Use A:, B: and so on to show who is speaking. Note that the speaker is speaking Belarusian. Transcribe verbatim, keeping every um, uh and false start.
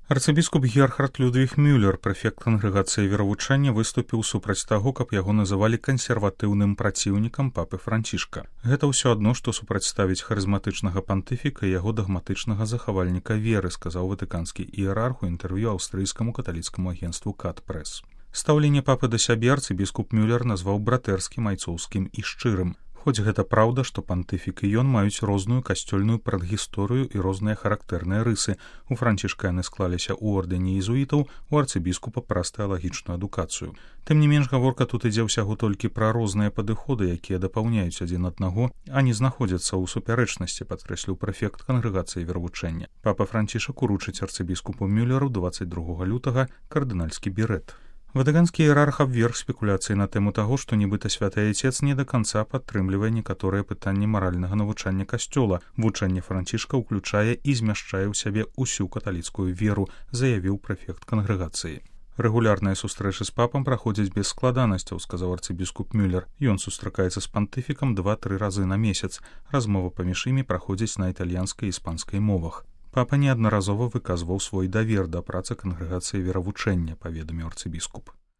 A: Арцыбіскуп Герхард Людвіг Мюллер, прэфект кангрэгацыі веравучэння, выступіў супраць таго, каб яго называлі кансерватыўным праціўнікам папы Францішка. Гэта ўсё адно, што супрацьставіць харызматычнага пантыфіка і яго дагматычнага захавальніка веры, сказаў ватыканскі іерарх у інтэрв'ю аўстрыйскаму каталіцкаму агенству Кат-Прэс. Стаўленне папы да сябе арцыбіскуп Мюллер назваў братэрскім, айцоўскім і шчырым. Хоць гэта праўда, што пантыфік і ён маюць розную касцёльную прадгісторыю і розныя характэрныя рысы. У Францішка яны склаліся ў ордэне езуітаў, у арцыбіскупа праз тэалагічную адукацыю. Тым не менш, гаворка тут ідзе ўсяго толькі пра розныя падыходы, якія дапаўняюць адзін аднаго, а не знаходзяцца ў супярэчнасці, падкрэсліў прэфект кангрэгацыі веравучэння. Папа Францішак уручыць арцыбіскупу Мюллеру дваццаць другога лютага кардынальскі берэт. Ватыканскі іерарх абверг спекуляцыі на тэму таго, што нібыта святы айцец не да канца падтрымлівае некаторыя пытанні маральнага навучання касцёла. Вучэнне Францішка ўключае і змяшчае ў сябе ўсю каталіцкую веру, заявіў прэфект кангрэгацыі. Рэгулярныя сустрэчы з папам праходзяць без складанасцяў, сказаў арцыбіскуп Мюллер. Ён сустракаецца з пантыфікам два-тры разы на месяц. Размова паміж імі праходзіць на італьянскай і іспанскай мовах. Папа неаднаразова выказваў свой давер да працы кангрэгацыі веравучэння, паведаміў арцыбіскуп.